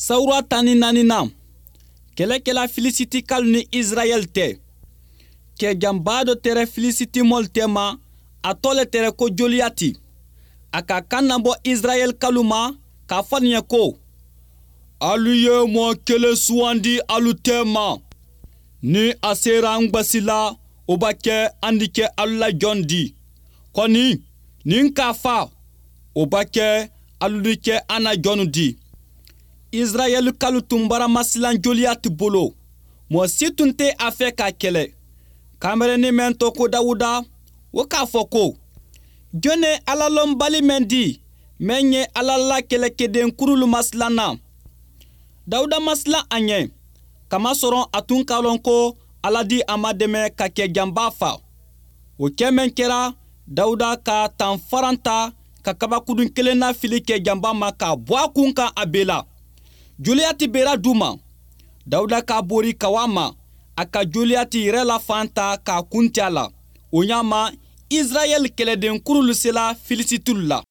Sawura 14 na, kɛlɛ kɛla Filisitikalu ni Israɛl tɛ. Kɛjanba dɔ tɛrɛ Filisitimɔlu tɛma, a tɔ le tɛrɛ ko Joliyati. A ka kan nabɔ Israɛlkalu ma k'a fɔ nin ye ko: "Alu ye mɔɔ kelen sugandi alu tɛma. Ni a sera an gbasi la, o b'a kɛ an di kɛ alu la jɔn di. Kɔni, ni n k'a fa, o b'a kɛ alu di kɛ an na jɔnnu di." Israɛlkalu tun bara masilan Joliyati bolo. Mɔɔ si tun tɛ a fɛ k'a kɛlɛ. Kanbɛrɛnin mɛn tɔ ko Dawuda, o k'a fɔ ko: "Jɔn ye Ala lɔnbali mɛn di, mɛn ye Ala la kɛlɛkɛden kurulu masilan na?" Dawuda masilan a ɲɛ, kamasɔrɔ a tun k'a lɔn ko Ala di a madɛmɛ ka kɛ janba fa. O kɛ mɛn kɛra, Dawuda ka tanfaran ta ka kabakudun kelen na fili kɛ janba ma k'a bɔ a kun kan, a bela. Joliyati bera du ma. Dawuda k'a bori ka wa ma, a ka Joliyati yɛrɛ la fan ta k'a kun tɛ a la. O ɲa ma, Israɛl kɛlɛden kurulu sela Filisitulu la.